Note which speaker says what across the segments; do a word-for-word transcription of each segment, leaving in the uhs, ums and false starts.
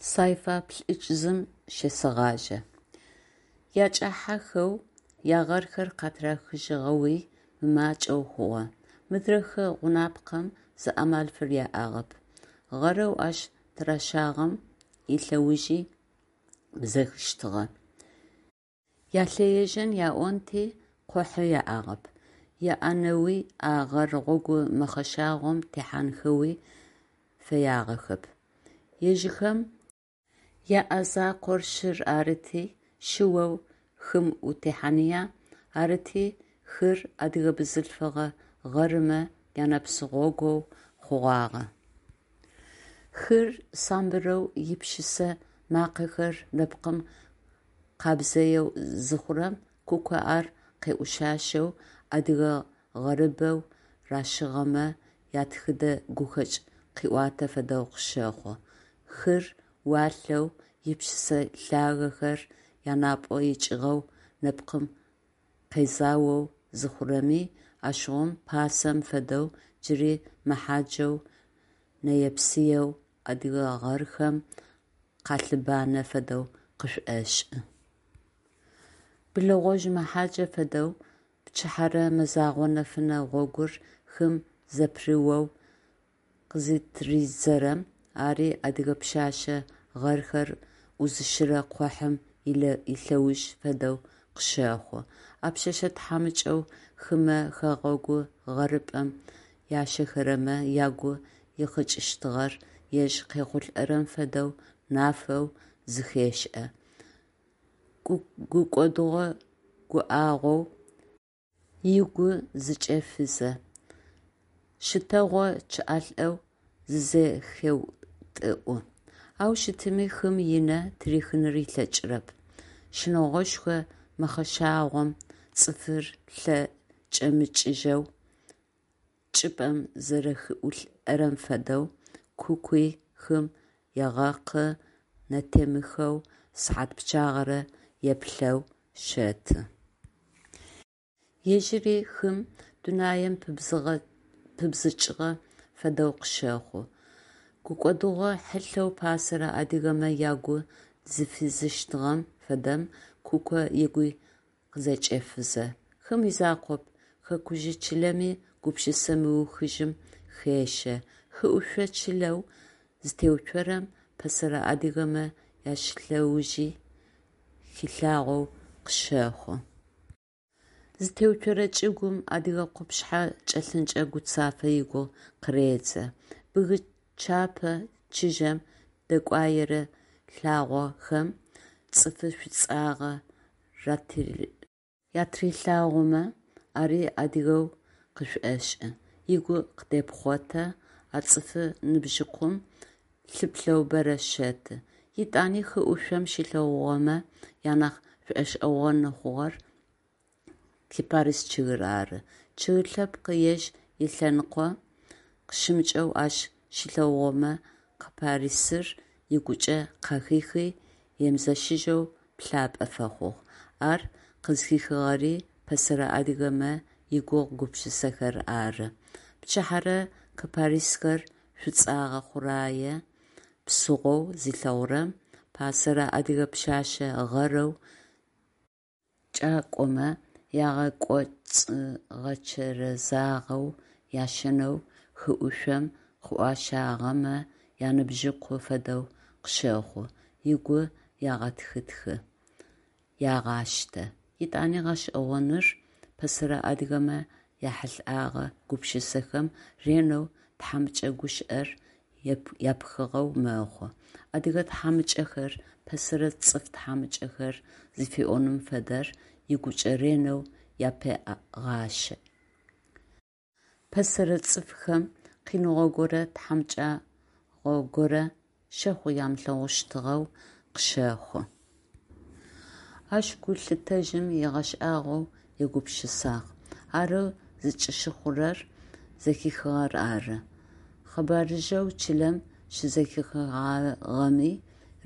Speaker 1: Сайфа плӏыкӏ зым щесэгъажьэ. Якӏахьэхэу ягъэрхэр къатырахыжьыгъэуи мымакӏэу хъугъэ. Мыдрэ хы гъунапкъэм зы амал фыряӏагъэп: гъэрэу ащ тыращагъэм илъэужи бзэхыщтыгъэ. Ялъэежьын аӏонти, къухьи яӏагъэп, яӏэнэуи а гъэр гъогу мэхъэшагъом техьанхэуи фэягъэхэп. Ежьыхэм яӏэ закъор шыр арыти, шыоу хым утехьаныя? Арыти, хыр адыгэ бзылъфыгъэ гъэрымэ янэпс гъогоу хъугъагъэ. Хыр самбырэу, ипшысэ макъэхэр нэпкъым къабзэеу зыхъурэм, Куко ар къеӏушъашъэу, адыгэ гъэрыбэу ращыгъэмэ ятхыдэ гухэкӏ къыӏуатэ фэдэу къыщэхъу. Хыр уалъэу, ипшысэ лъагэхэр янапӏэ икӏыгъэу нэпкъым къезаоу зыхъурэми, ащыгъум, пасэм фэдэу, джыри мэхьаджэу, нэе-псыеу адыгэ гъэрхэм къалъыбанэ фэдэу къышӏошӏы. Блэгъожъ мэхьаджэ фэдэу пчыхьэрэ мэзэгъо нэфынэ гъогур хым зэпырыоу къызытыридзэрэм, ари адыгэ пшъэшъэ гъэрхэр ӏузыщырэ къухьэм илъэуж фэдэу къыщэхъу. А пшъэшъэ тхьамыкӏэу хымэ хэгъэгу гъэрыпӏэм ящэхэрэмэ ягу ихъыкӏыщтыгъэр ежь къехъулӏэрэм фэдэу нафэу зэхешӏэ, гукӏодыгъо гуӏагъоу ыгу зыкӏефызэ, щтэгъо чъыӏалӏэу зызэхеутӏыӏу. Ау щытми, хым ынэ тырихын ылъэкӏырэп. Щынэгъошхо мэхъэшагъом цӏыфыр лъэ кӏэмыкӏыжьэу чӏыпӏэм зэрэхиӏулӏэрэм фэдэу, Кукуи хым егъэкъы, нэтемыхэу сыхьат пчъагъэрэ еплъэу щэты. Ежьыри хым, дунаим пыбзыкӏыгъэ фэдэу къыщэхъу. Гукӏодыгъо хьылъэу пасэрэ адыгэмэ ягу зыфизыщтыгъэм фэдэм Куко ыгуи къызэкӏефызэ. Хым изакъоп, хэкужъ чылэми гупшысэ мыухыжьым хещэ. Хыӏушъо чылэу зытеуцорэм пэсэрэ адыгэмэ яшылъэужи хилъагъоу къыщэхъу. Зытеуцорэ чӏыгум адыгэ къупшъхьэ чӏэлъынкӏэ Гуцафэ игугъу къыредзэ. Бгы чапэ чыжьэм дэкӏуаерэ лъагъохэм цӏыфы шӏуцӏагъэ атырилъагъомэ, ари адыгэу къышӏошӏы, ыгу къыдепхъотэ, а цӏыфы ныбжьыкъум лъыплъэу бэрэ щэты. Етӏани хы ӏушъом щилъэгъугъэмэ анахь шӏогъэшӏэгъоны хъугъэр кипарис чъыгыр ары. Чъыг лъэпкъ ежь ылъэныкъо къыщымыкӏэу ащ щилъэгъугъэмэ кипарисыр ыгукӏэ къахихи, емызэщыжьэу плъапӏэ фэхъугъ. Ар къызхихыгъэри пэсэрэ адыгэмэ игугъу-гупшысэхэр ары. Пчыхьэрэ кипарисхэр шӏуцӏэгъэ хъурэе псыгъоу зилъэгъурэм, пасэрэ адыгэ пшъэшъэ гъэрэу кӏакӏомэ ягъэкӏоцӏы гъэчэрэзагъэу ящэнэу хыӏушъом къыӏуащагъэмэ яныбжьыкъу фэдэу къыщэхъу, ыгу егъэтхытхы, егъаштэ. Етӏани гъэшӏэгъоныр, пэсэрэ адыгэмэ яхьылӏэгъэ гупшысэхэм ренэу тхьамыкӏэ гущыӏэр япхыгъэу мэхъу. Адыгэ тхьамыкӏэхэр, пэсэрэ цӏыф тхьамыкӏэхэр зыфиӏоным фэдэр ыгукӏэ ренэу япегъашӏэ. Пэсэрэ цӏыфхэм къиныгъо горэ, тхьамыкӏагъо горэ щэхъу ямылъэгъущтыгъэу къыщэхъу. Ащ гу лъытэжьым ыгъэшӏагъоу егупшысагъ. Арэу зыкӏыщыхъурэр зэхихыгъэр ары. Къэбарыжъэу чылэм щызэхихыгъагъэми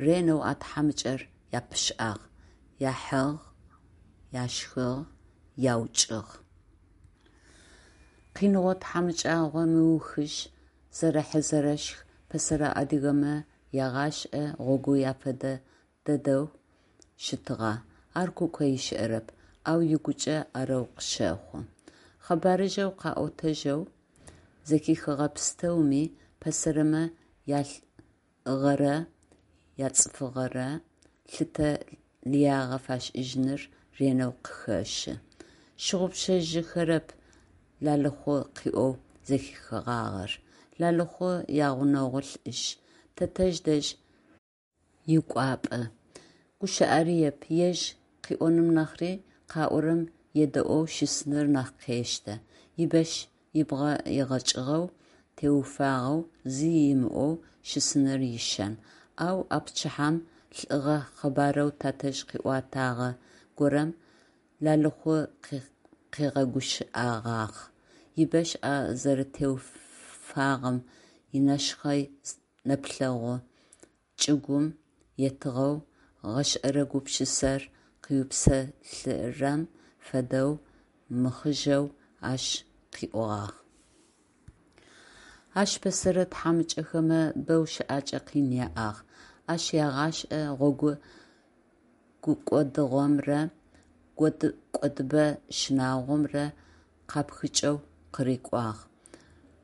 Speaker 1: ренэу а тхьамыкӏэр япышӏагъ: яхьыгъ, яшхыгъ, яукӏыгъ. Къиныгъо-тхьамыкӏэгъо мыухыжь, зэрэхь-зэрэшх пэсэрэ адыгэмэ ягъэшӏэ гъогу афэдэ дэдэу щытыгъа, ар Куко ышӏэрэп, ау ыгукӏэ арэу къыщэхъу. Къэбарыжъэу къаӏотэжьэу зэхихыгъэ пстэуми пэсэрэмэ ялӏыгъэрэ яцӏыфыгъэрэ лъытэ лыягъэ фашӏыжьыныр ренэу къыхэщы. Щыгъупшэжьыхэрэп Лалыхъу къыӏоу зэхихыгъагъэр. Лалыхъу ягъунэгъу лӏыжъ, тэтэжъ дэжь икӏуапӏэ. Гущыӏэрыеп, ежь къыӏоным нахьри къаӏорэм едэӏоу щысыныр нахь къештэ. Ибэщ ыбгъэ егъэкӏыгъэу, теуфагъэу, зи ымыӏоу щысыныр ишэн. Ау а пчыхьэм лӏыгъэ къэбарэу тэтэжъ къыӏотагъэ горэм Лалыхъу къыгъэгущыӏэгъагъ. Ибэщ ӏэ зэрэтеуфагъэм, инэшхъэй нэплъэгъу чӏыгум етыгъэу, гъэшӏэрэ гупшысэр къыупсэлъырэм фэдэу мыхъыжъэу ащ къыӏогъагъ. Ащ пэсэрэ тхьамыкӏэхэмэ бэу щыӏэкӏэ къин яӏагъ, ащ ягъэшӏэ гъогу гукӏодыгъомрэ кӏодыпӏэ щынагъомрэ къапхыкӏэу къырыкӏуагъ,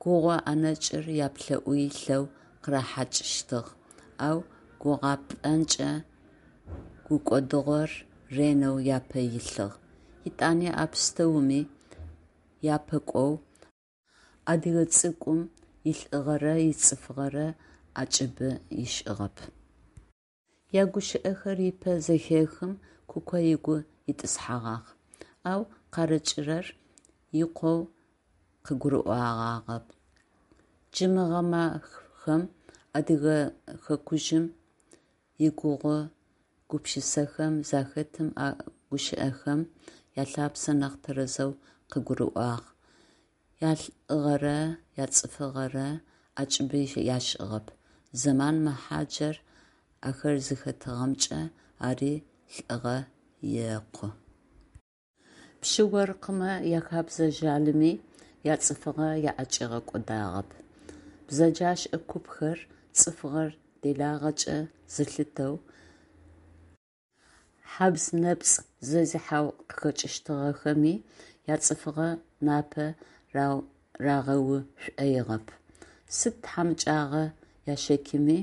Speaker 1: гугъу ӏэнэкӏыр яплӏэӏу илъэу къырахьакӏыщтыгъ, ау гугъэпӏэнчъэ гукӏодыгъор ренэу апэ илъыгъ. Етӏани а пстэуми япэкӏоу адыгэ цӏыкӏум илӏыгъэрэ ицӏыфыгъэрэ ӏэкӏыбы ышӏыгъэп. Ягущыӏэхэр ыпэ зехым Куко ыгу итӏысхьэгъагъ, ау къарыкӏырэр икъоу къыгурыӏогъагъэп. Джы мы гъэмафэм Адыгэ хэкужъым игугъу-гупшысэхэм захэтым а гущыӏэхэм ялъапсэ нахь тэрэзэу къыгурыӏуагъ, ялӏыгъэрэ яцӏыфыгъэрэ ӏэкӏыбы ашӏыгъэп, зэман мэхъаджэр ахэр зыхэтыгъэмкӏэ ари лӏыгъэ екъу. Пщы-оркъымэ яхэбзэ жъалыми яцӏыфыгъэ аӏэкӏигъэкӏодагъэп. Бзэджашӏэ купхэр цӏыфыгъэр делагъэкӏэ зылъытэу, хьабз-нэпцӏ зезыхьэу къыхэкӏыщтыгъэхэми, яцӏыфыгъэ напэ рагъэушӏоигъэп. Сыд тхьамыкӏагъо ящэкӏми,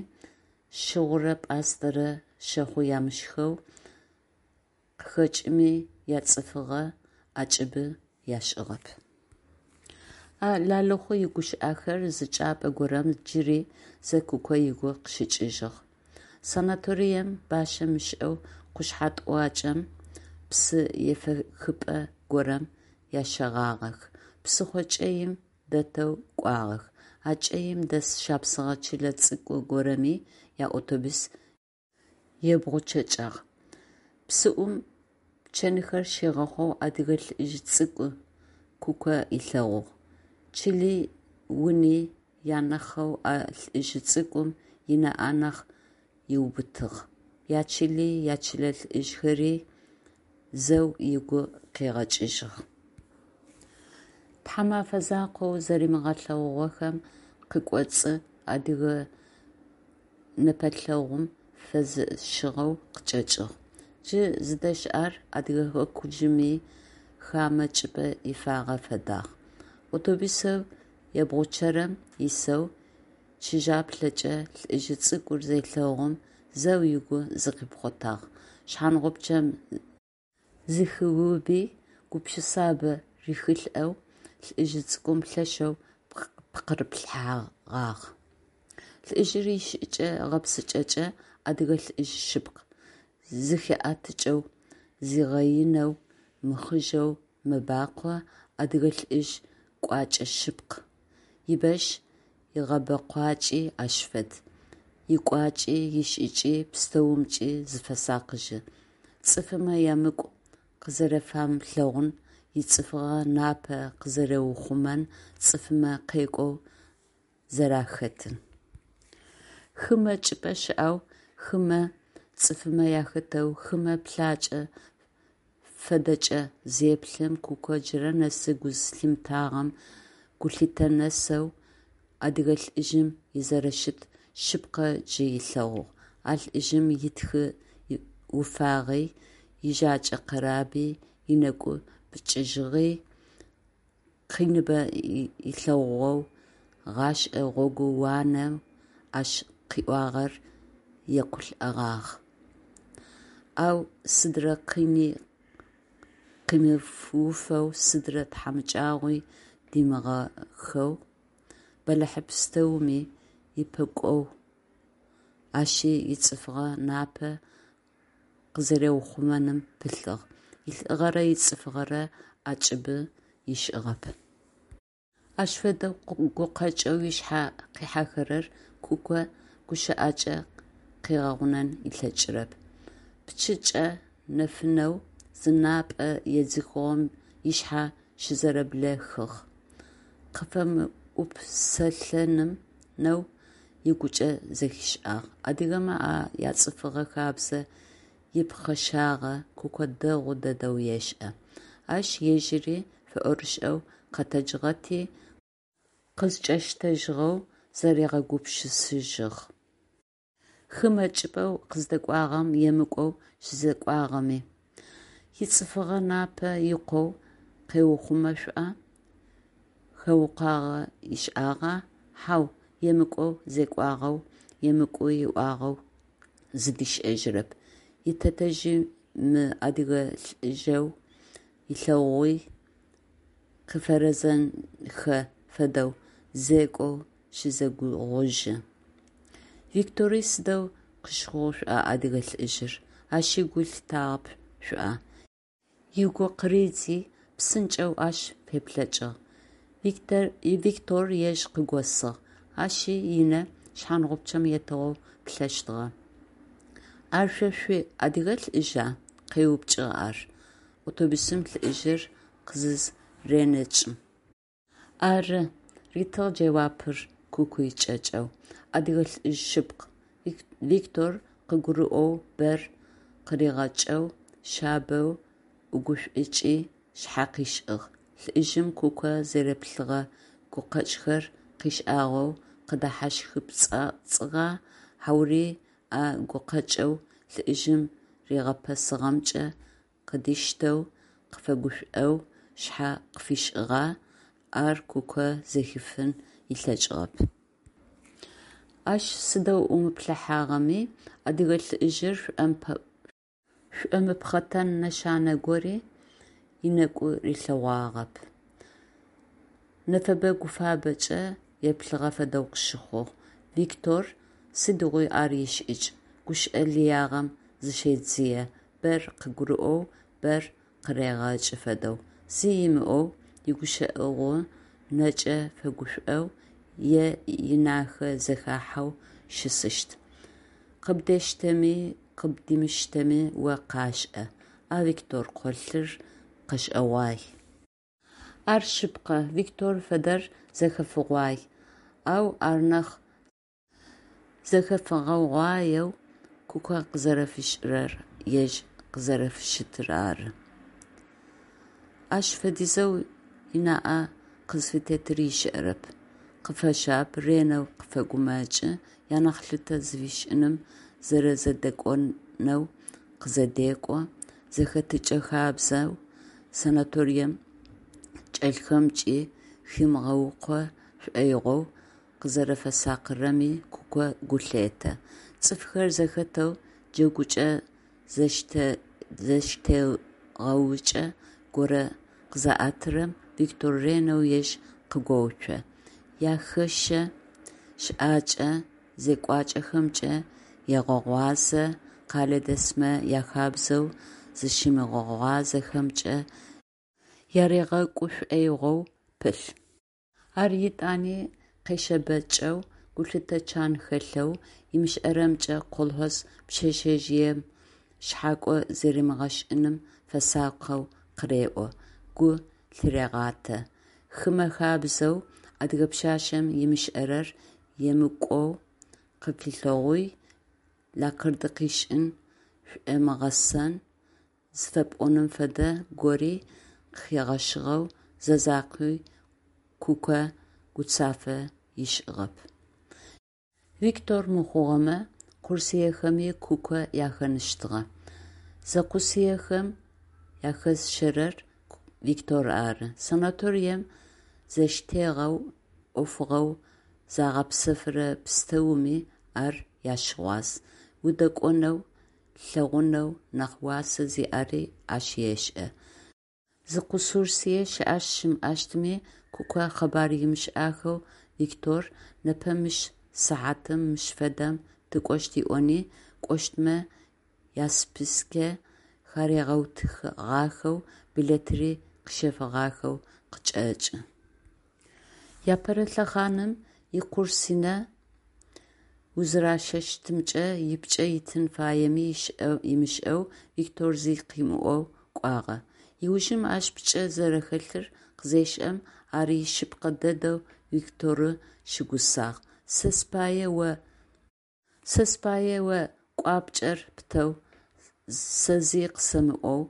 Speaker 1: щыгъурэ пӏастэрэ щэхъу ямышхэу къыхэкӏыми, яцӏыфыгъэ ӏэкӏыбы ашӏыгъэп. А Лалыхъу игущыӏэхэр зы чӏыпӏэ горэм джыри зэ Куко ыгу къыщыкӏыжьыгъ. Санаторием бащэ мышӏэу къушъхьэ тӏуакӏэм, псы ефэхыпӏэ горэм ящэгъагъэх. Псыхъо кӏэим дэтэу кӏуагъэх. А кӏэим дэс шапсыгъэ чылэ цӏыкӏу горэми яавтобус ебгъучъэкӏыгъ. Псыӏум пчэнхэр щигъэхъоу адыгэ лӏыжъ цӏыкӏу Куко ылъэгъугъ. Чыли уни янахъэу а лӏыжъ цӏыкӏум ынаӏэ нахь ыубытыгъ, ячыли, ячылэ лӏыжъхэри зэу ыгу къигъэкӏыжьыгъ. Тхьамэфэ закъоу зэримыгъэлъэгъугъэхэм къыкӏоцӏы адыгэ нэпэлъэгъум фэзэщыгъэу къычӏэкӏыгъ. Джы зыдэщыӏэр Адыгэ хэкужъыми, хамэ чӏыпӏэ ифагъэ фэдагъ. Автобусэу ебгъучъэрэм исэу чыжьаплъэкӏэ лӏыжъ цӏыкӏур зелъэгъум зэу ыгу зыкъипхъотагъ, шъхьангъупчъэм зыхиуби, гупшысабэ рихьылӏэу лӏыжъ цӏыкӏум лъэшэу пкъырыплъыгъагъ. Лӏыжъыр ишӏыкӏэ-гъэпсыкӏэкӏэ адыгэ лӏыжъ шъыпкъ: зыхиӏэтыкӏэу, зигъэинэу, мыхъыжъэу мэбакъо, адыгэ лӏыжъ кӏуачӏэ шъыпкъ. Ибэщ игъэбэкъуакӏи ащ фэд, икӏуакӏи, ишӏыкӏи, пстэумкӏи зыфесакъыжьы, цӏыфымэ емыкӏу къызэрэфамылъэгъун, ицӏыфыгъэ напэ къызэриухъумэн, цӏыфымэ къекӏоу зэрахэтын. Хымэ чӏыпӏэ щыӏэу, хымэ цӏыфымэ ахэтэу, хымэ плъакӏэ фэдэкӏэ зеплъым, Куко джырэ нэсы гу зылъимытагъэм гу лъитэ нэсэу адыгэ лӏыжъым изэрэщыт шъыпкъэ джы ылъэгъугъ: а лӏыжъым ытхы уфагъи, ыжакӏэ къэраби, ынэкӏу пкӏыжьыгъи къиныбэ ылъэгъугъэу, гъэшӏэ гъогууанэу ащ къыкӏугъэр екъулӏэгъагъ, ау сыдрэ къини къимыуфэу, сыдрэ тхьамыкӏагъуи димыгъэхэу, бэлахь пстэуми упэкӏоу ащи ицӏыфыгъэ напэ къызэриухъумэным пылъыгъ, илӏыгъэрэ ицӏыфыгъэрэ ӏэкӏыбы ышӏыгъэп. Ащ фэдэ гукъэкӏэу ышъхьэ къихьэхэрэр Куко гущыӏэкӏэ къыгъэгъунэн ылъэкӏырэп. Пчыкӏэ нэфынэу зынапӏэ едзыхыгъэм ышъхьэ щызэрэблэхыгъ, къыфэмыупсэлъэнэу ыгукӏэ зэхишӏагъ. Адыгэмэ а яцӏыфыгъэ хабзэ ипхъэшагъэ Куко дэгъу дэдэу ешӏэ. Ащ ежьыри фэӏорышӏэу къэтэджыгъэти, къызкӏэщтэжьыгъэу заригъэгупшысыжьыгъ. Хымэ чӏыпӏэу къыздэкӏуагъэм емыкӏоу щызекӏуагъэми, ицӏыфыгъэ напэ икъоу къеухъумэшъуа, хэукъуагъэ ышӏагъа? Хьау, емыкӏоу зекӏуагъэу, емыкӏу ыӏуагъэу зыдишӏэжьырэп. Итэтэжъи мы адыгэ лӏыжъэу ылъэгъугъи къыфэрэзэнхэ фэдэу зекӏоу щызэгугъужьы. Виктори сыдэу къыщыхъугъ шӏуа адыгэ лӏыжъыр, ащи гу лъитагъэп шӏуа? Ыгу къыридзи, псынкӏэу ащ феплъэкӏыгъ. Виктор ежь къыгосыгъ, ащи ынэ шъхьангъупчъэм етыгъэу плъэщтыгъэ. «Ар шъо шъуи Адыгэ лӏыжъа?» – къеупчӏыгъ ар, автобусым лӏыжъыр къызызренэкӏым. «Ары», – ритыгъ джэуапыр Куки кӏэкӏэу, «Адыгэ лӏыжъ шъыпкъ», – Виктор къыгурыӏоу бэр къыригъэкӏэу, шъабэу ӏугушӏукӏи, шъхьэ къышӏыгъ. Лӏыжъым Куко зэреплъыгъэ гукъэкӏхэр къышӏагъэу къыдэхьащхыпцӏыгъа, хьаури а гукъэкӏэу лӏыжъым ригъэпэсыгъэмкӏэ къыдиштэу, къыфэгушӏоу шъхьэ къыфишӏыгъа – ар Куко зэхифын ылъэкӏыгъэп. Ащ сыдэу ӏумыплъыхьагъэми, адыгэ лӏыжъыр шӏомыпхъэтэн нэшанэ гори ынэкӏу рилъэгъуагъэп, нэфэбэ-гуфабэкӏэ еплъыгъэ фэдэу къыщыхъугъ. Виктор сыдигъуи ар ишӏыкӏ: гущыӏэ лыягъэм зыщедзые, бэр къыгурыӏоу, бэр къырегъэкӏы фэдэу. Зи ымыӏоу, игущыӏэгъу нэкӏэ фэгушӏоу е инахэ зэхахьэу щысыщт. Къыбдештэми къыбдимыштэми о къашӏэ: а Виктор къолъыр къэшӏэгъуай. Ар шъыпкъэ, Виктор фэдэр зэхэфыгъуай, ау ар нахь зэхэфыгъуаер Куко къызэрэфишӏырэр, ежь къызэрэфыщытыр ары. Ащ фэдизэу ынаӏэ къызфытетыр ышӏэрэп: къыфэшъаб, ренэу къыфэгумэкӏы, янахь лъытэ зыфишӏыным, зэрэзэдэкӏонэу къызэдекӏо, зэхэтыкӏэ-хабзэу санаторием чӏэлъхэмкӏи химыгъэукъо шӏоигъоу къызэрэфэсакъырэми Куко гу лъетэ. Цӏыфхэр зэхэтэу джэгукӏэ зэщтегъэукӏэ горэ къызаӏэтырэм, Виктор ренэу ежь къыгоуцо, яхэщэ щыӏакӏэ, зекӏуакӏэхэмкӏэ егъэгъуазэ, къэлэдэсмэ яхабзэу зыщымыгъуазэхэмкӏэ яригъэкӏу шӏоигъоу пылъ. Ар етӏани къешъэбэкӏэу, гулъытэ чан хэлъэу, ымышӏэрэмкӏэ колхоз пшъэшъэжъыем шъхьакӏо зэримыгъэшӏыным фэсакъэу къыреӏо, гу лъырегъатэ. Хымэ хабзэу адыгэ пшъашъэм ымышӏэрэр емыкӏоу къыфилъэгъуи, лакъырд къышӏын, шӏомыгъэсэн зыфэпӏоным фэдэ гори къыхигъэщыгъэу зэ закъуи Куко гуцафэ ышӏыгъэп. Виктор мыхъугъэмэ, курсыехэми Куко яхэныщтыгъэ. Зэкъусыехэм ахэзыщэрэр Виктор ары. Санаторием зэщтегъэу ӏофыгъэу загъэпсэфырэ пстэуми ар ащыгъуаз, удэкӏонэу, лъэгъунэу нахь уасэ зиӏэри ащ ешӏэ. Зы къурсые щыӏэщт-щымыӏэщтми Куко къэбар ымышӏахэу Виктор, непэ мыщ сыхьатым мыщ фэдэм тыкӏощт ыӏони, кӏощтмэ яспискэ харигъэутыгъахэу, билетри къыщэфыгъахэу къычӏэкӏы. Апэрэ лъэхъаным икурсынэ узэращэщтымкӏэ ыпкӏэ ытын фаеми ымышӏэу Виктор зи къымыӏоу кӏуагъэ. Ыужым ащ пкӏэ зэрэхэлъыр къызешӏэм, ар ишъыпкъэ дэдэу Викторы щыгусагъ: «Сэ спае о Сэ спае о кӏуапкӏэр птэу, сэ зи къысэмыӏоу,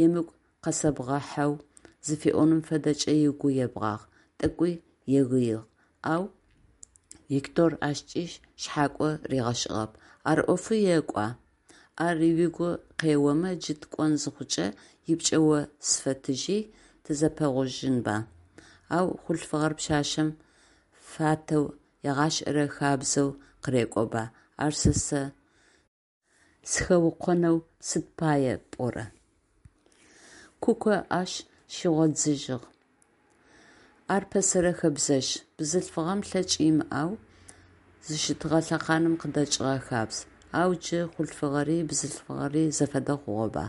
Speaker 1: емыкӏу къэсэбгъэхьэу…» зыфиӏоным фэдэкӏэ ыгу ебгъагъ, тӏэкӏуи егыигъ, ау Виктор ащкӏи шъхьакӏо ригъэшӏыгъэп: «Ар ӏофы екӏуа? Ар угу къеомэ, джы тыкӏон зыхъукӏэ ыпкӏэ о сфэтыжьи, тызэпэгъужьынба? Ау хъулъфыгъэр пшъашъэм фатэу егъэшӏэрэ хабзэу къырекӏоба, ар сэ сыхэукъонэу сыд пае пӏорэ?» Куко ащ щигъодзыжьыгъ: «Ар пэсэрэ хэбзэжъ, бзылъфыгъэм лъэкӏ имыӏэу зыщытыгъэ лъэхъаным къыдэкӏыгъэ хабз. Ау джы хъулъфыгъэри бзылъфыгъэри зэфэдэ хъугъэба?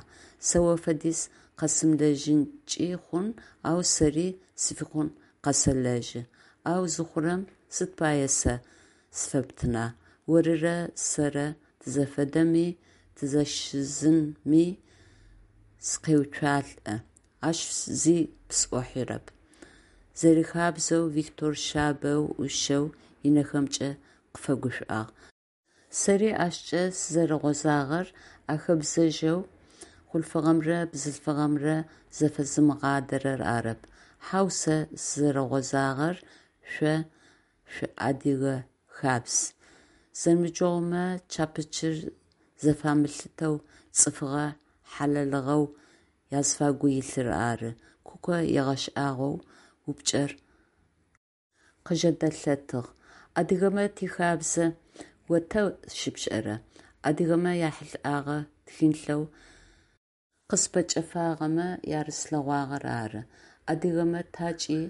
Speaker 1: Сэ о фэдиз къэсымылэжьынкӏи хъун, ау сэри сфикъун къэсэлэжьы. Ау зыхъурэм сыд пае сэ сфэптына? Орырэ сэрэ тызэфэдэми тызэшъузынми сыкъеуцуалӏэ, ащ зи пысӏохьэрэп», – зэрихабзэу Виктор шъабэу, ӏушэу ынэхэмкӏэ къыфэгушӏуагъ. Сэри ащкӏэ сызэрыгъозагъэр а хэбзэжъэу хъулъфыгъэмрэ бзылъфыгъэмрэ зэфэзымыгъадэрэр арэп. Хьау, сэ сызэрыгъозагъэр шъо шъуиадыгэ хабз: зэныбджэгъумэ чапычыр зэфамылъытэу цӏыфыгъэ хьалэлыгъэу азыфагу илъыр ары, – Куко ыгъэшӏагъоу упчӏэр къыжэдэлъэтыгъ: «Адыгэмэ тихабзэ о тэ щыпшӏэра?» Адыгэмэ яхьылӏэгъэ тхылъэу къыспэкӏэфагъэмэ арыслъэгъуагъэр ары. Адыгэмэ такӏи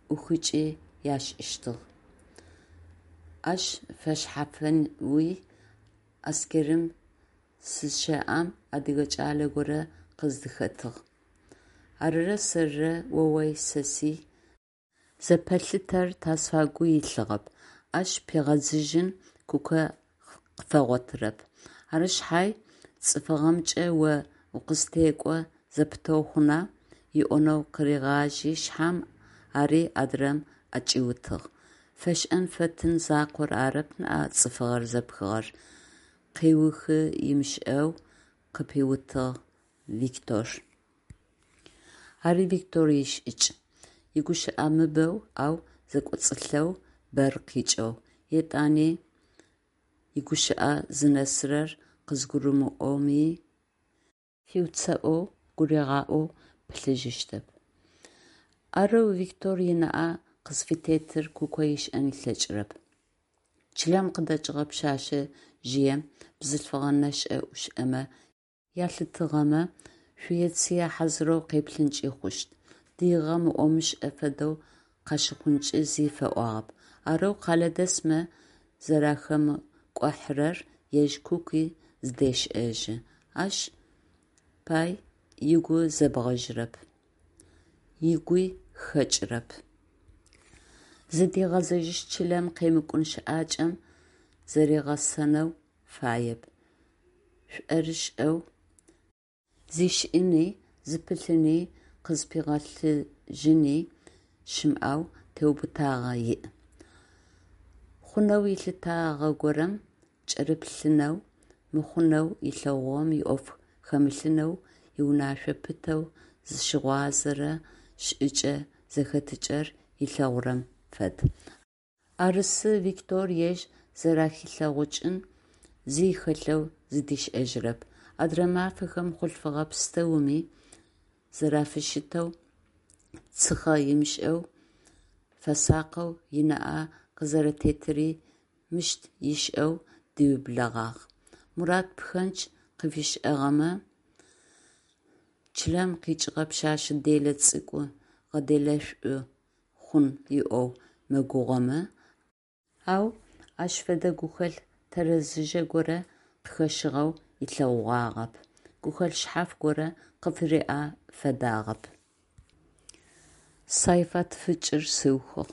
Speaker 1: ӏухыкӏи ашӏыщтыгъ. Ащ фэшъхьафэуи аскэрым сызщэӏэм адыгэ кӏалэ горэ къыздыхэтыгъ. Арырэ сэрырэ оой-сэсый зэпэлъытэр тазфагу илъыгъэп, – ащ пигъэдзыжьын Куко къыфэгъотырэп. Ары шъхьай, цӏыфыгъэмкӏэ о укъыстекӏо зэпытэу хъуна? Ыӏонэу къыригъажьи шъхьам, ари адырэм ӏэкӏиутыгъ: «Фэшӏэн-фэтын закъор арэп ныӏа цӏыфыгъэр зэпхыгъэр», – къеухы ымышӏэу къыпиутыгъ Виктор. Ари Виктор ишӏыкӏ: игущыӏэ мыбэу, ау зэкӏоцӏылъэу, бэр къикӏэу. Етӏани игущыӏэ зынэсырэр къызгурымыӏоми хиуцэӏоу, гуригъаӏоу пылъыжьыщтэп. Арэу Виктор ынаӏэ къызфытетыр Куко ышӏэн ылъэкӏырэп. Чылэм къыдэкӏыгъэ пшъэшъэжъыем, бзылъфыгъэ нэшӏэ-ӏушӏэмэ ялъытыгъэмэ, шъуе-цые хьазырэу къеплъынкӏи хъущт, дыигъэ мыӏъо-мышӏэ фэдэу къащыхъункӏи зи фэӏуагъэп. Арэу къэлэдэсмэ зэрахэмыкӏухьэрэр ежь Куки зыдешӏэжьы, ащ пай ыгу зэбгъэжьырэп, ыгуи хэкӏырэп. Зыдигъэзэжьыщт чылэм къемыкӏун щыӏакӏэм зыригъэсэнэу фаеп, шӏорышӏэу зишӏыни, зыпылъыни, къызпигъэлъыжьыни щымыӏэу теубытагъэ иӏ. Хъунэу ылъытагъэгорэм кӏырыплъынэу, мыхъунэу ылъэгъугъэм иӏоф хэмылъынэу иунашъо пытэу зыщыгъозэрэ шӏыкӏэ-зэхэтыкӏэр ылъэгъурэм фэд. Арысы Виктор ежь зэрахилъэгъукӏын зи хэлъэу зыдишӏэжьырэп. Адрэ мафэхэм хъулъфыгъэ пстэуми зэрафыщытэу, цыхъэ ымышӏэу, фэсакъэу ынаӏэ къызэрэтетыри мыщ ышӏэу диублэгъагъ. Мурат пхэндж къыфишӏыгъэмэ, чылэм къикӏыгъэ пшъэшъэ делэ цӏыкӏу гъэделэшъу хъун ыӏоу мэгугъэмэ, ау ащ фэдэ гухэлъ тэрэзыжьэ горэ къыхэщыгъэу ылъэгъугъагъэп, гухэлъ шъхьаф горэ къыфыриӏэ фэдагъэп. Сайфат фыкӏыр сыухыгъ.